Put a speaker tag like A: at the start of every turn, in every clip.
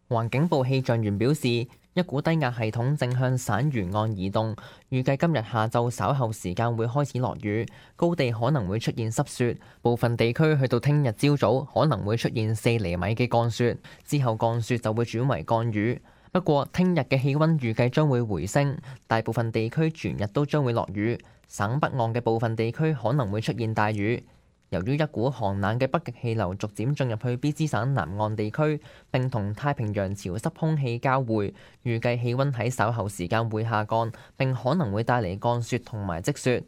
A: 環境部氣象員表示，一股低壓系統正向省沿岸移動，預計今日下晝稍後時間會開始落雨，高地可能會出現濕雪，部分地區去到聽日朝早可能會出現4厘米嘅降雪，之後降雪就會轉為降雨。不過，聽日嘅氣溫預計將會回升，大部分地區全日都將會落雨，省北岸嘅部分地區可能會出現大雨。由於一股寒冷嘅北極氣流逐漸進入去BC省南岸地區，並同太平洋潮濕空氣交匯，預計氣溫喺稍後時間會下降，並可能會帶嚟降雪同埋積雪。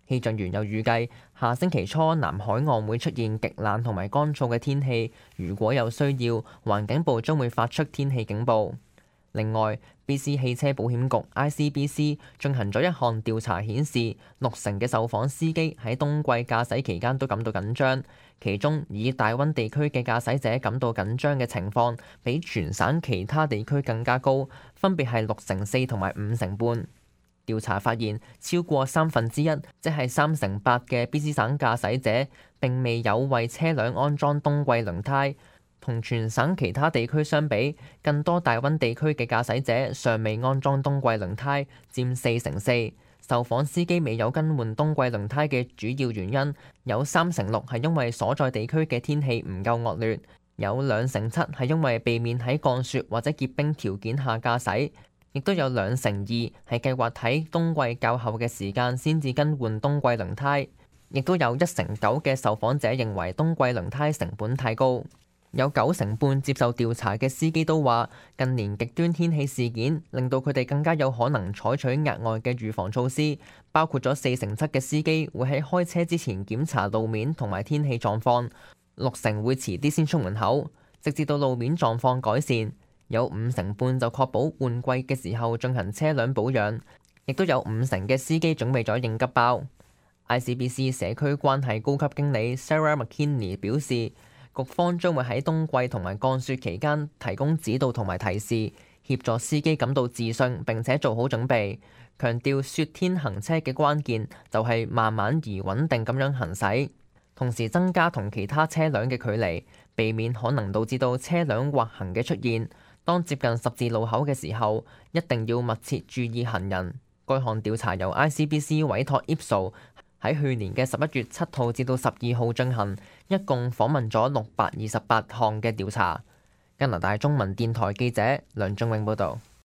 A: 氣象員又預計下星期初南海岸會出現極冷同埋乾燥嘅天氣，如果有需要，環境部將會發出天氣警報。另外，BC 汽車保險局 ICBC 進行咗一項調查，顯示60%嘅受訪司機喺冬季駕駛期間都感到緊張，其中以大溫地區嘅駕駛者感到緊張嘅情況，比全省其他地區更加高，分別係64%同埋5%半。調查發現，超過1/3，即係3%8嘅 BC 省駕駛者並未有為車輛安裝冬季輪胎。同全省其他地區相比，更多大溫地區嘅駕駛者尚未安裝冬季輪胎，佔4/4。受訪司機未有更換冬季輪胎嘅主要原因，有3/6係因為所在地區嘅天氣唔夠惡劣，有2/7係因為避免喺降雪或者結冰條件下駕駛，亦都有2/2係計劃喺冬季較後嘅時間先至更換冬季輪胎，亦都有1/9嘅受訪者認為冬季輪胎成本太高。有9/半接受調查嘅司機都話，近年極端天氣事件令到佢哋更加有可能採取額外嘅預防措施，包括咗4/7嘅司機會喺開車之前檢查路面同埋天氣狀況，60%會遲啲先出門口，直至到路面狀況改善。有5/半就確保換季嘅時候進行車輛保養，亦都有50%嘅司機準備咗應急包。ICBC 社區關係高級經理 Sarah McKinney 表示，局方將會喺冬季同埋降雪期間提供指導同埋提示，協助司機感到自信並且做好準備。強調雪天行車嘅關鍵就係慢慢而穩定咁樣行駛，同時增加同其他車輛嘅距離，避免可能導致到車輛滑行嘅出現。當接近十字路口嘅時候，一定要密切注意行人。該項調查由 ICBC 委託 Ipsos喺去年嘅11月7號至到12號進行，一共訪問咗628項嘅調查。加拿大中文電台記者梁仲永報導。